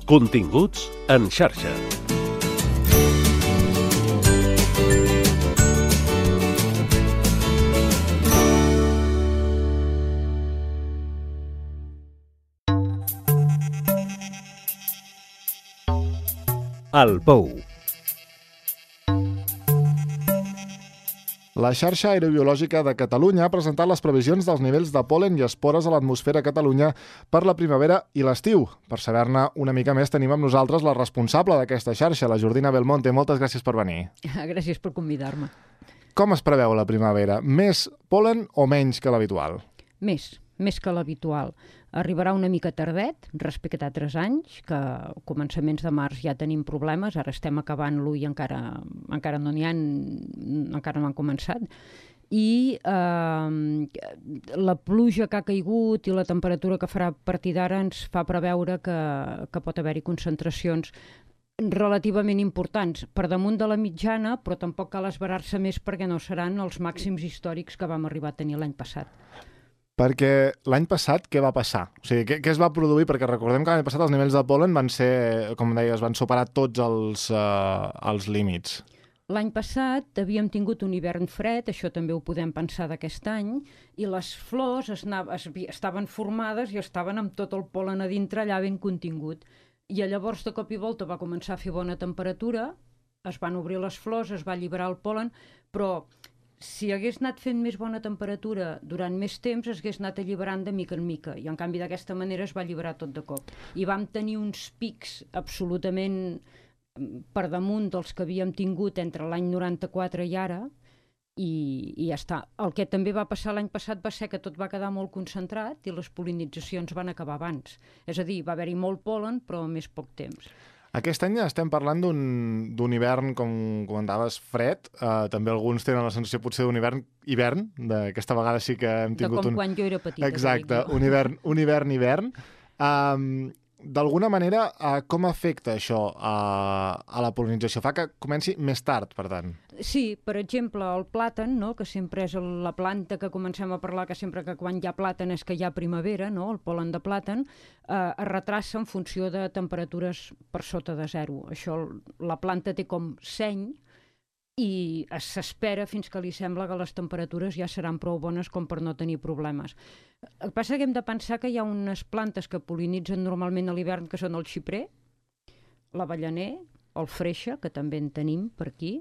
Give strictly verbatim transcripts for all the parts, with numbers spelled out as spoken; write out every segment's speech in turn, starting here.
Continguts en xarxa. El Pou. La xarxa aerobiològica de Catalunya ha presentat les previsions dels nivells de pol·len i espores a l'atmosfera a Catalunya per la primavera i l'estiu. Per saber-ne una mica més tenim amb nosaltres la responsable d'aquesta xarxa, la Jordina Belmonte. Moltes gràcies per venir. Gràcies per convidar-me. Com es preveu la primavera? Més pol·len o menys que l'habitual? Més, més que l'habitual. Arribarà una mica tardet respecte a altres anys, que a començaments de març ja tenim problemes, ara estem acabant-lo i encara, encara no n'hi ha, encara no han començat. I eh, la pluja que ha caigut i la temperatura que farà a partir d'ara ens fa preveure que, que pot haver-hi concentracions relativament importants, per damunt de la mitjana, però tampoc cal esverar-se més perquè no seran els màxims històrics que vam arribar a tenir l'any passat. Perquè l'any passat què va passar? O sigui, què, què es va produir? Perquè recordem que l'any passat els nivells de pol·len van ser, com deies, van superar tots els, uh, els límits. L'any passat havíem tingut un hivern fred, això també ho podem pensar d'aquest any, i les flors es anava, es, estaven formades i estaven amb tot el pol·len a dintre allà ben contingut. I llavors, de cop i volta, va començar a fer bona temperatura, es van obrir les flors, es va alliberar el pol·len, però si hagués anat fent més bona temperatura durant més temps, es hagués anat alliberant de mica en mica, i en canvi d'aquesta manera es va alliberar tot de cop. I vam tenir uns pics absolutament per damunt dels que havíem tingut entre l'any noranta-quatre i ara, i, i ja està. El que també va passar l'any passat va ser que tot va quedar molt concentrat i les pol·linitzacions van acabar abans. És a dir, va haver-hi molt pol·len, però més poc temps. Aquest any estem parlant d'un hivern, com comentaves, fred. Uh, també alguns tenen la sensació potser d'un hivern hivern. Aquesta vegada sí que hem tingut un... De com un... quan jo era petita. Exacte, un hivern, un hivern hivern. Um, D'alguna manera, uh, com afecta això uh, a la pol·linització? Fa que comenci més tard, per tant. Sí, per exemple, el plàtan, no?, que sempre és la planta que comencem a parlar, que sempre que quan hi ha plàtan és que hi ha primavera, no?, el pol·len de plàtan, eh, es retrassa en funció de temperatures per sota de zero. Això, la planta té com seny i s'espera fins que li sembla que les temperatures ja seran prou bones com per no tenir problemes. El que passa que hem de pensar que hi ha unes plantes que pol·linitzen normalment a l'hivern, que són el xiprer, l'avellaner, el freixe, que també en tenim per aquí,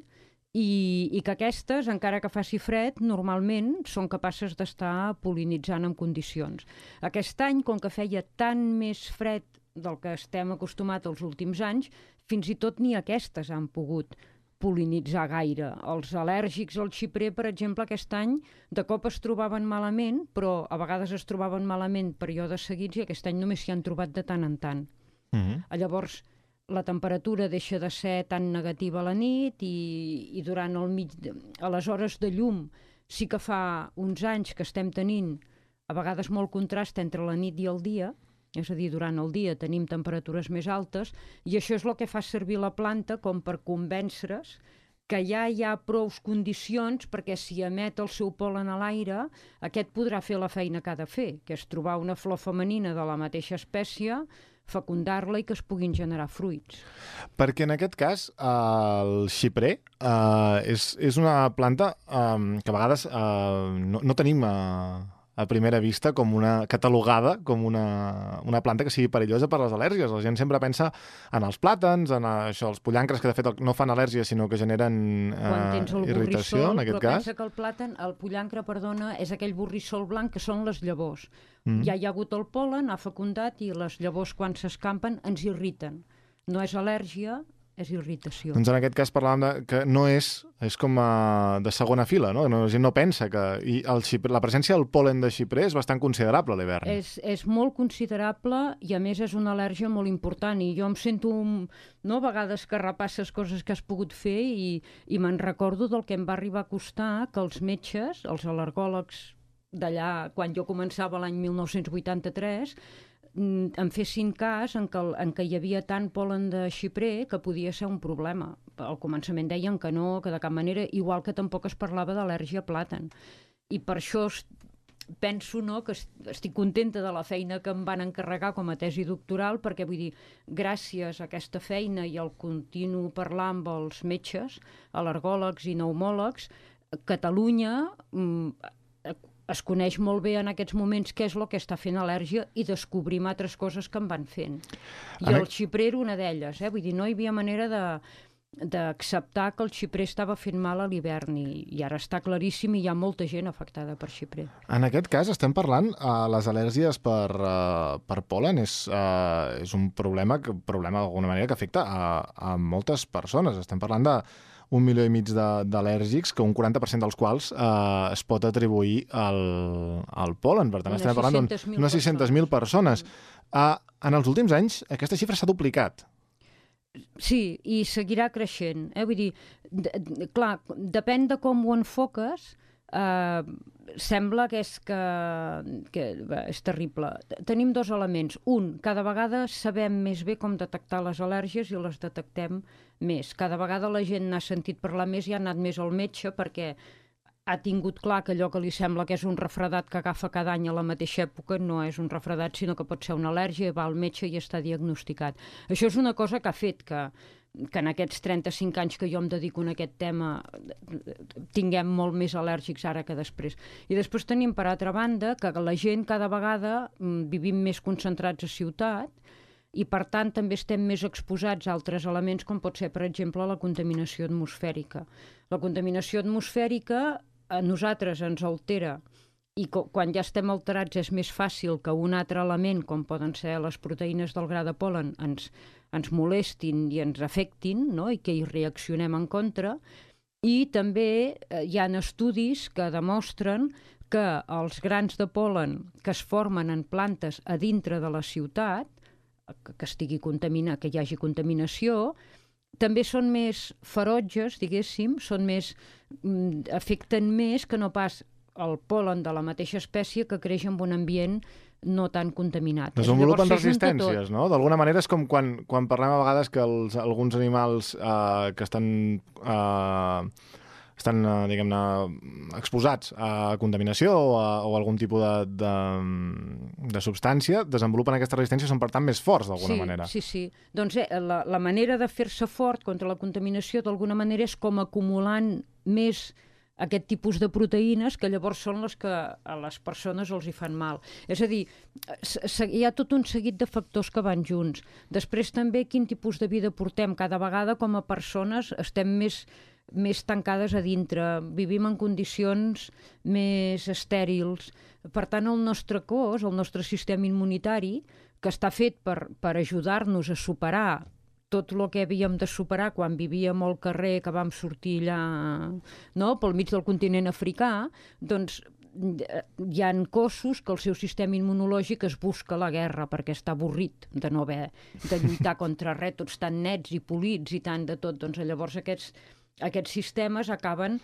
i, i que aquestes, encara que faci fred, normalment són capaces d'estar pol·linitzant en condicions. Aquest any, com que feia tant més fred del que estem acostumats els últims anys, fins i tot ni aquestes han pogut pol·linitzar gaire. Els al·lèrgics al xiprer, per exemple, aquest any de cop es trobaven malament, però a vegades es trobaven malament períodes seguits i aquest any només s'hi han trobat de tant en tant. Mm-hmm. Llavors, la temperatura deixa de ser tan negativa a la nit i, i durant el mig... a les hores de llum sí que fa uns anys que estem tenint a vegades molt contrast entre la nit i el dia, és a dir, durant el dia tenim temperatures més altes i això és el que fa servir la planta com per convèncere's que ja hi ha prou condicions perquè si emet el seu pol·len a l'aire, aquest podrà fer la feina que ha de fer, que és trobar una flor femenina de la mateixa espècie, fecundar-la i que es puguin generar fruits. Perquè en aquest cas el xiprer uh, és, és una planta um, que a vegades uh, no, no tenim... Uh... a primera vista com una catalogada com una, una planta que sigui perillosa per les al·lèrgies. La gent sempre pensa en els plàtans, en això, els pollancres que de fet no fan al·lèrgia sinó que generen eh, irritació, en aquest però cas. Pensa que el plàtan, el pollancre, perdona, és aquell borrissol blanc que són les llavors. Mm. Ja hi ha hagut el pol·len, ha fecundat i les llavors quan s'escampen ens irriten. No és al·lèrgia, és irritació. Doncs en aquest cas parlàvem de, que no és, és com a, de segona fila, no? La gent no pensa que... I el xiprer, la presència del pol·len de xiprer és bastant considerable a l'hivern. És, és molt considerable i a més és una al·lèrgia molt important i jo em sento, no, a vegades que repasses coses que has pogut fer i, i me'n recordo del que em va arribar a costar que els metges, els al·lergòlegs d'allà, quan jo començava l'any mil nou-cents vuitanta-tres, em fessin cas en què, en què hi havia tant pol·len de xiprer que podia ser un problema. Al començament deien que no, que de cap manera, igual que tampoc es parlava d'al·lèrgia a plàtan. I per això penso, no, que estic contenta de la feina que em van encarregar com a tesi doctoral, perquè vull dir, gràcies a aquesta feina i al continu parlar amb els metges, al·lergòlegs i pneumòlegs, Catalunya mm, es coneix molt bé en aquests moments què és el que està fent al·lèrgia i descobrim altres coses que em van fent. I el xiprer era una d'elles, eh? Vull dir, no hi havia manera de d'acceptar que el xiprer estava fent mal a l'hivern i, i ara està claríssim i hi ha molta gent afectada per xiprer. En aquest cas estem parlant, uh, les al·lèrgies per, uh, per pol·len és, uh, és un problema, que, problema d'alguna manera que afecta a, a moltes persones. Estem parlant de un milió i mig d'al·lèrgics, que un quaranta per cent dels quals eh, es pot atribuir al, al pol·len. Per tant, unes estem parlant d'unes sis-centes mil persones. Uh, en els últims anys, aquesta xifra s'ha duplicat. Sí, i seguirà creixent. Eh? Vull dir, de, de, clar, depèn de com ho enfoques, eh, sembla que és, que, que bé, és terrible. Tenim dos elements. Un, cada vegada sabem més bé com detectar les al·lèrgies i les detectem més. Cada vegada la gent n'ha sentit parlar més i ha anat més al metge perquè ha tingut clar que allò que li sembla que és un refredat que agafa cada any a la mateixa època no és un refredat, sinó que pot ser una al·lèrgia, va al metge i està diagnosticat. Això és una cosa que ha fet que, que en aquests trenta-cinc anys que jo em dedico a aquest tema tinguem molt més al·lèrgics ara que després. I després tenim, per altra banda, que la gent cada vegada vivim més concentrats a ciutat i, per tant, també estem més exposats a altres elements, com pot ser, per exemple, la contaminació atmosfèrica. La contaminació atmosfèrica a nosaltres ens altera i quan ja estem alterats és més fàcil que un altre element, com poden ser les proteïnes del gra de pol·len, ens, ens molestin i ens afectin, no? I que hi reaccionem en contra. I també eh, hi ha estudis que demostren que els grans de pol·len que es formen en plantes a dintre de la ciutat, que, que estigui contaminat, que hi hagi contaminació, també són més ferotges, diguéssim, són més, mm, afecten més que no pas el pol·len de la mateixa espècie que creix en un ambient no tan contaminat. Desenvolupen resistències, no? D'alguna manera és com quan, quan parlem a vegades que els, alguns animals eh, que estan... Eh, estan, diguem-ne, exposats a contaminació o a, o a algun tipus de, de, de substància, desenvolupen aquesta resistència, són per tant més forts d'alguna sí, manera. Sí, sí. Doncs eh, la, la manera de fer-se fort contra la contaminació d'alguna manera és com acumulant més aquest tipus de proteïnes que llavors són les que a les persones els hi fan mal. És a dir, hi ha tot un seguit de factors que van junts. Després també quin tipus de vida portem. Cada vegada com a persones estem més més tancades a dintre, vivim en condicions més estèrils. Per tant, el nostre cos, el nostre sistema immunitari, que està fet per, per ajudar-nos a superar tot el que havíem de superar quan vivíem al carrer, que vam sortir allà, no?, pel mig del continent africà, doncs hi ha cossos que el seu sistema immunològic es busca la guerra perquè està avorrit de no haver de lluitar contra res, tots tan nets i polits i tant de tot. Doncs llavors aquests Aquests sistemes acaben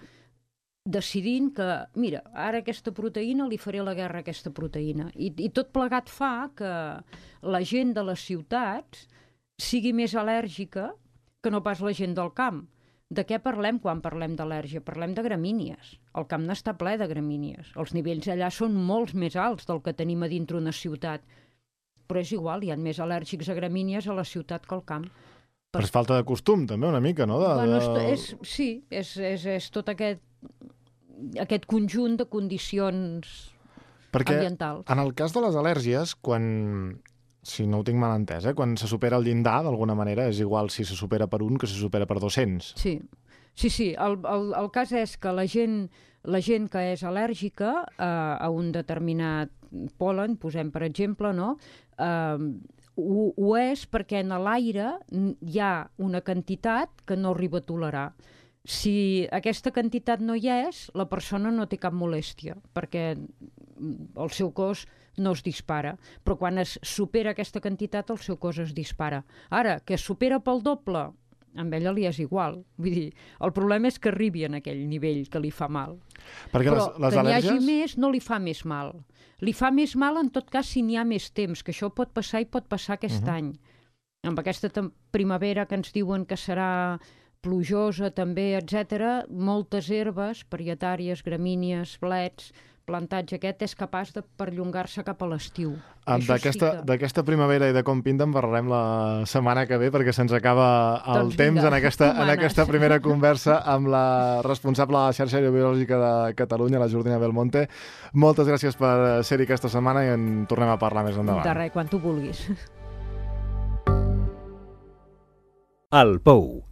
decidint que, mira, ara aquesta proteïna li faré la guerra a aquesta proteïna. I, i tot plegat fa que la gent de les ciutats sigui més al·lèrgica que no pas la gent del camp. De què parlem quan parlem d'al·lèrgia? Parlem de gramínies. El camp n'està ple de gramínies. Els nivells allà són molts més alts del que tenim a dintre una ciutat. Però és igual, hi ha més al·lèrgics a gramínies a la ciutat que al camp. Però és falta de costum, també, una mica, no? De, bueno, de... és, sí, és, és, és tot aquest, aquest conjunt de condicions Perquè ambientals. En el cas de les al·lèrgies, quan, si no ho tinc mal entès, eh, quan se supera el llindar, d'alguna manera, és igual si se supera per un que se supera per dos-cents. Sí, sí, sí. El, el, el cas és que la gent, la gent que és al·lèrgica a, a un determinat pol·len, posem per exemple, no?, eh, Ho, ho és perquè en l'aire hi ha una quantitat que no arriba a tolerar. Si aquesta quantitat no hi és, la persona no té cap molèstia, perquè el seu cos no es dispara. Però quan es supera aquesta quantitat, el seu cos es dispara. Ara, que es supera pel doble, amb ella li és igual. Vull dir, el problema és que arribi en aquell nivell que li fa mal. Perquè Però les, les que n'hi al·lèrgies... hagi més no li fa més mal. Li fa més mal en tot cas si n'hi ha més temps, que això pot passar i pot passar aquest uh-huh. any. Amb aquesta primavera que ens diuen que serà plujosa també, etcètera, moltes herbes, parietàries, gramínies, blets, plantatge aquest és capaç de perllongar-se cap a l'estiu. D'aquesta sí que... primavera i de com pinta en parlarem la setmana que ve, perquè se'ns acaba el doncs temps vinga, en aquesta, en aquesta primera conversa amb la responsable de la xarxa aerobiològica de Catalunya, la Jordina Belmonte. Moltes gràcies per ser-hi aquesta setmana i en tornem a parlar més endavant. De res, quan tu vulguis. El Pou.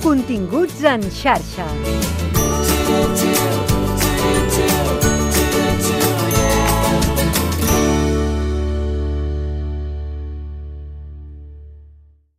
Continguts en xarxa.